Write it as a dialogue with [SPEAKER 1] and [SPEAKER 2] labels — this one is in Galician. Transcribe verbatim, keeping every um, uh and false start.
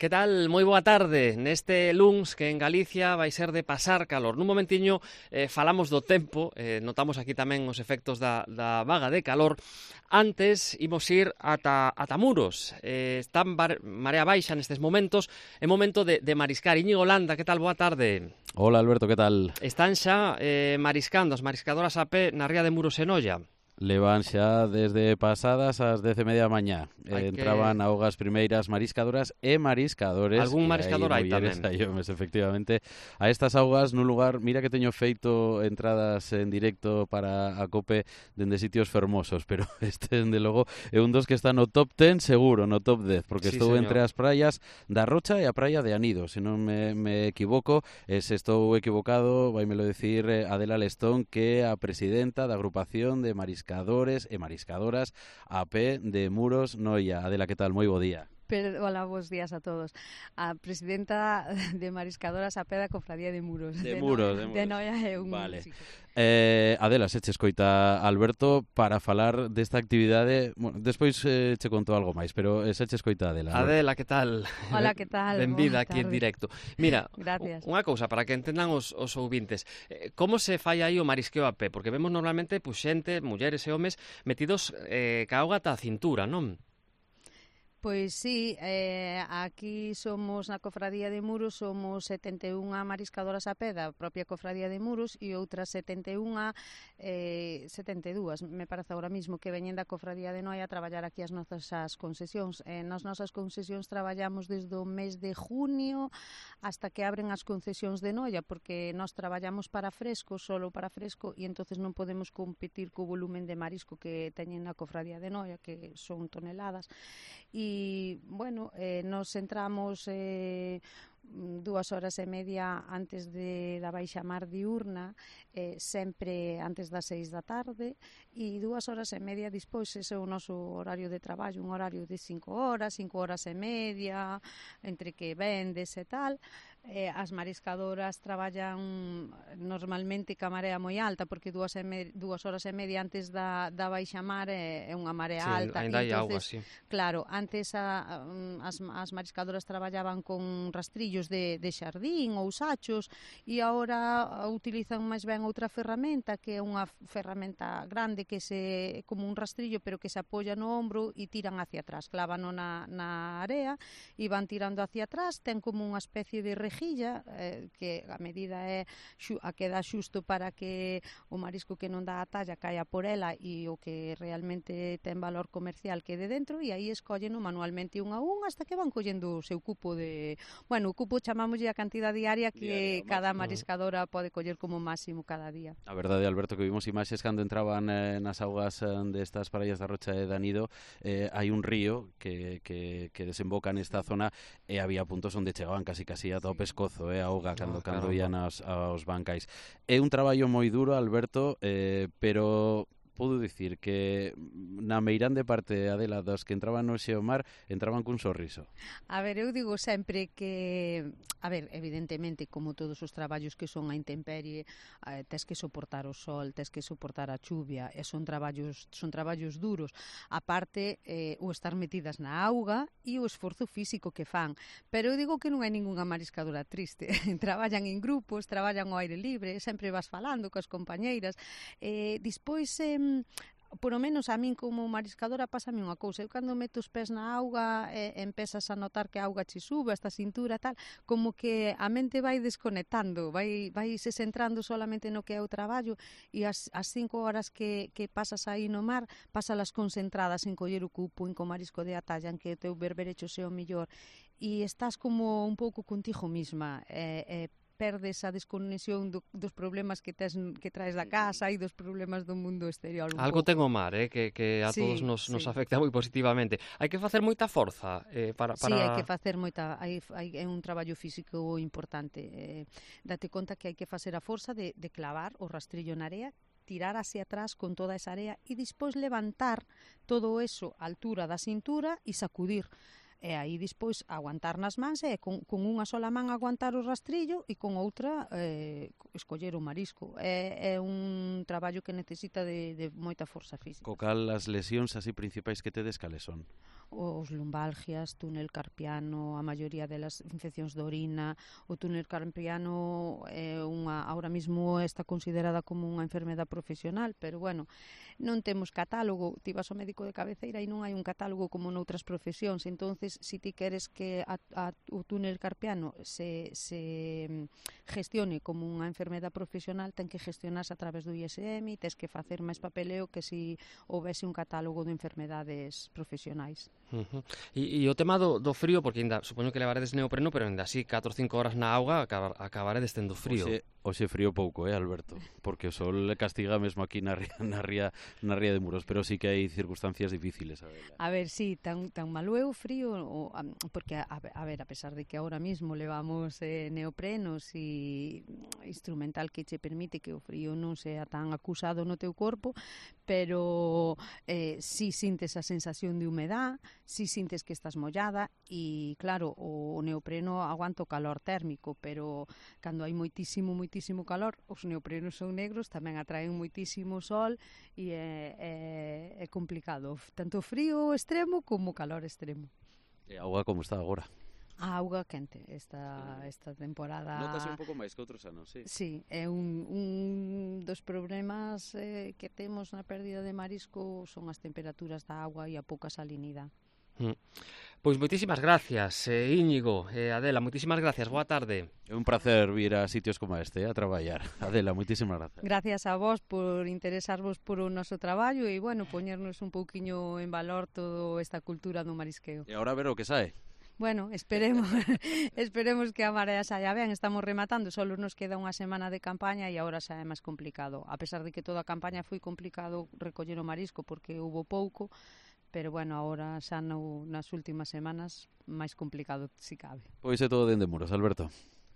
[SPEAKER 1] Que tal? Moi boa tarde. Neste luns que en Galicia vai ser de pasar calor. Nun momentiño eh, falamos do tempo, eh, notamos aquí tamén os efectos da, da vaga de calor. Antes imos ir ata, ata Muros. Eh, están bar, marea baixa nestes momentos. É momento de, de mariscar. Íñigo Landa, que tal? Boa tarde.
[SPEAKER 2] Hola Alberto, que tal?
[SPEAKER 1] Están xa eh, mariscando as mariscadoras a pé na ría de Muros en Olla.
[SPEAKER 2] Levan xa desde pasadas as dez e media da mañá.
[SPEAKER 1] Hai
[SPEAKER 2] Entraban
[SPEAKER 1] que...
[SPEAKER 2] augas primeiras mariscadoras e mariscadores.
[SPEAKER 1] Algún mariscador hai tamén.
[SPEAKER 2] Hai homes, efectivamente. A estas augas nun lugar, mira que teño feito entradas en directo para a COPE dende sitios fermosos, pero este, dende logo, é un dos que está no top ten seguro, no top dez, porque
[SPEAKER 1] Sí,
[SPEAKER 2] estou
[SPEAKER 1] señor.
[SPEAKER 2] entre as praias da Rocha e a praia de Anido, se non me, me equivoco. E se estou equivocado, vaimelo decir Adela Lestón, que é a presidenta da agrupación de mariscadores mariscadores e mariscadoras a pé de Muros, Noia. Adela, que tal? Moi bo día.
[SPEAKER 3] Pero, hola, bons días a todos. A presidenta de mariscadoras a pé da Cofradía de Muros.
[SPEAKER 2] De, de Muros,
[SPEAKER 3] no,
[SPEAKER 2] de Muros.
[SPEAKER 3] De Noia é un...
[SPEAKER 2] Vale.
[SPEAKER 3] Sí.
[SPEAKER 2] Eh, Adela, se che escoita Alberto para falar desta actividade. Bueno, despois eh, che conto algo máis, pero eh, se che escoita Adela.
[SPEAKER 1] Adela, que tal?
[SPEAKER 3] Hola, que tal?
[SPEAKER 1] Benvida aquí en directo. Mira,
[SPEAKER 3] gracias.
[SPEAKER 1] Unha cousa para que entendan os, os ouvintes. Eh, como se fai aí o marisqueo a pé? Porque vemos normalmente pues, xente, mulleres e homes metidos eh, ca auga ata a cintura, non?
[SPEAKER 3] Pois sí, eh, aquí somos na Cofradía de Muros, somos setenta e unha mariscadoras a pé da propia Cofradía de Muros e outras setenta e unha, eh, setenta e dúas, me parece agora mismo, que veñen da Cofradía de Noia a traballar aquí as nosas concesións. Eh, nas nosas concesións traballamos desde o mes de junio hasta que abren as concesións de Noia, porque nós traballamos para fresco, solo para fresco, e entonces non podemos competir co volumen de marisco que teñen na Cofradía de Noia, que son toneladas. E, bueno, eh, nos entramos eh, dúas horas e media antes de, da baixa mar diurna, eh, sempre antes das seis da tarde, e dúas horas e media dispois. Ese é o noso horario de traballo, un horario de cinco horas, cinco horas e media, entre que vendes e tal. Eh, as mariscadoras traballan normalmente ca marea moi alta, porque dúas, e me, dúas horas e media antes da, da baixa mar é, é unha marea
[SPEAKER 1] sí,
[SPEAKER 3] alta.
[SPEAKER 1] Ainda hai
[SPEAKER 3] entonces,
[SPEAKER 1] auga, sí.
[SPEAKER 3] Claro, antes a, as, as mariscadoras traballaban con rastrillos de, de xardín ou sachos, e agora utilizan máis ben outra ferramenta, que é unha ferramenta grande que se como un rastrillo, pero que se apoia no ombro e tiran hacia atrás, clávano na, na area e van tirando hacia atrás. Ten como unha especie de rejilla, eh, que a medida é xu, a que dá xusto para que o marisco que non dá a talla caia por ela e o que realmente ten valor comercial quede dentro, e aí escolleno manualmente un a un hasta que van collendo o seu cupo de... Bueno, o cupo chamámoslle a cantidade diaria que diaria, cada mariscadora pode coller como máximo cada día.
[SPEAKER 2] A verdade, Alberto, que vimos imaxes cando entraban eh, nas augas eh, destas praias da Rocha e Danido. Eh, hai un río que, que, que desemboca nesta zona e había puntos onde chegaban casi casi ata o pescozo, eh, a auga cando,
[SPEAKER 1] Ah,
[SPEAKER 2] cando
[SPEAKER 1] caramba.
[SPEAKER 2] ian aos, aos bancais. É un traballo moi duro, Alberto, eh, pero podo dicir que na meirande parte, Adela, dos que entraban no Xeomar entraban cun sorriso.
[SPEAKER 3] A ver, eu digo sempre que, a ver, evidentemente, como todos os traballos que son a intemperie, eh, tes que soportar o sol, tes que soportar a chuvia, e son traballos son traballos duros. A parte, eh, o estar metidas na auga e o esforzo físico que fan. Pero eu digo que non hai ningunha mariscadora triste. Traballan en grupos, traballan ao aire libre, sempre vas falando coas compañeiras. Eh, dispois, eh, por o menos a min como mariscadora pásame unha cousa. Eu cando meto os pés na auga e empezas a notar que a auga che sube hasta a cintura tal, como que a mente vai desconectando, vai, vai se centrando solamente no que é o traballo, e as, as cinco horas que, que pasas aí no mar, pásalas concentradas en coller o cupo, en co marisco de atalla, en que o teu berberecho sea o mellor, e estás como un pouco contigo misma, e, e perdes a desconexión do, dos problemas que tes que traes da casa e dos problemas do mundo exterior.
[SPEAKER 1] Algo
[SPEAKER 3] pouco.
[SPEAKER 1] ten o mar, eh, que, que a
[SPEAKER 3] sí,
[SPEAKER 1] todos nos,
[SPEAKER 3] sí.
[SPEAKER 1] nos afecta moi positivamente. Hai que facer moita forza eh, para, para...
[SPEAKER 3] Sí, hai que facer moita... Hai, hai, é un traballo físico importante. Eh, date conta que hai que facer a forza de, de clavar o rastrillo na area, tirar hacia atrás con toda esa area e despois levantar todo eso á altura da cintura e sacudir. e aí despois aguantar nas mans e con, con unha sola man aguantar o rastrillo e con outra eh, escoller o marisco. É, é un traballo que necesita de, de moita forza física.
[SPEAKER 2] Co cal as lesións así principais que tedes cales son?
[SPEAKER 3] Os lumbalgias, túnel carpiano, a maioría delas infeccións de orina. O túnel carpiano é unha, ahora mismo está considerada como unha enfermedade profesional, pero bueno, non temos catálogo. Ti vas ao médico de cabeceira e non hai un catálogo como noutras profesións. Entonces, se si ti queres que a, a, o túnel carpiano se, se gestione como unha enfermedade profesional, ten que gestionarse a través do I S M, tes que facer máis papeleo que se si houvese un catálogo de enfermedades profesionais.
[SPEAKER 1] Uh-huh. E, e o tema do, do frío, porque ainda supoño que levaredes neopreno, pero ainda así catro ou cinco horas na auga acabar, acabaredes tendo frío.
[SPEAKER 2] Oxe, oxe frío pouco, eh, Alberto, porque o sol castiga mesmo aquí na ría, na ría, na ría de Muros, pero sí que hai circunstancias difíciles. A ver,
[SPEAKER 3] a ver sí, tan, tan malo é o frío, o, a, porque a, a ver, a pesar de que ahora mismo levamos eh, neoprenos e instrumental que che permite que o frío non sea tan acusado no teu corpo, pero eh, si sintes a sensación de humedad, si sintes que estás mollada e claro, o neopreno aguanta o calor térmico, pero cando hai moitísimo, moitísimo calor, os neoprenos son negros, tamén atraen moitísimo sol e é, é, é complicado, tanto frío extremo como calor extremo.
[SPEAKER 2] E a auga como está agora?
[SPEAKER 3] A auga quente esta, esta temporada.
[SPEAKER 2] Notase un pouco máis que outros anos, sí.
[SPEAKER 3] Sí, é un, un dos problemas eh, que temos na pérdida de marisco son as temperaturas da auga e a pouca salinidade.
[SPEAKER 1] Mm. Pois moitísimas gracias, eh, Íñigo, eh, Adela, moitísimas gracias, boa tarde.
[SPEAKER 2] É un placer vir a sitios como este, eh, a traballar. Adela, moitísimas gracias.
[SPEAKER 3] Gracias a vos por interesarvos por o noso traballo e, bueno, poñernos un pouquiño en valor toda esta cultura do marisqueo.
[SPEAKER 2] E agora ver o que sae.
[SPEAKER 3] Bueno, esperemos esperemos que a marea saia ben. Estamos rematando, só nos queda unha semana de campaña e agora xa é máis complicado. A pesar de que toda a campaña foi complicado recoller o marisco porque hubo pouco, pero bueno, agora xa no, nas últimas semanas máis complicado si cabe.
[SPEAKER 2] Pois é todo dende Muros, Alberto.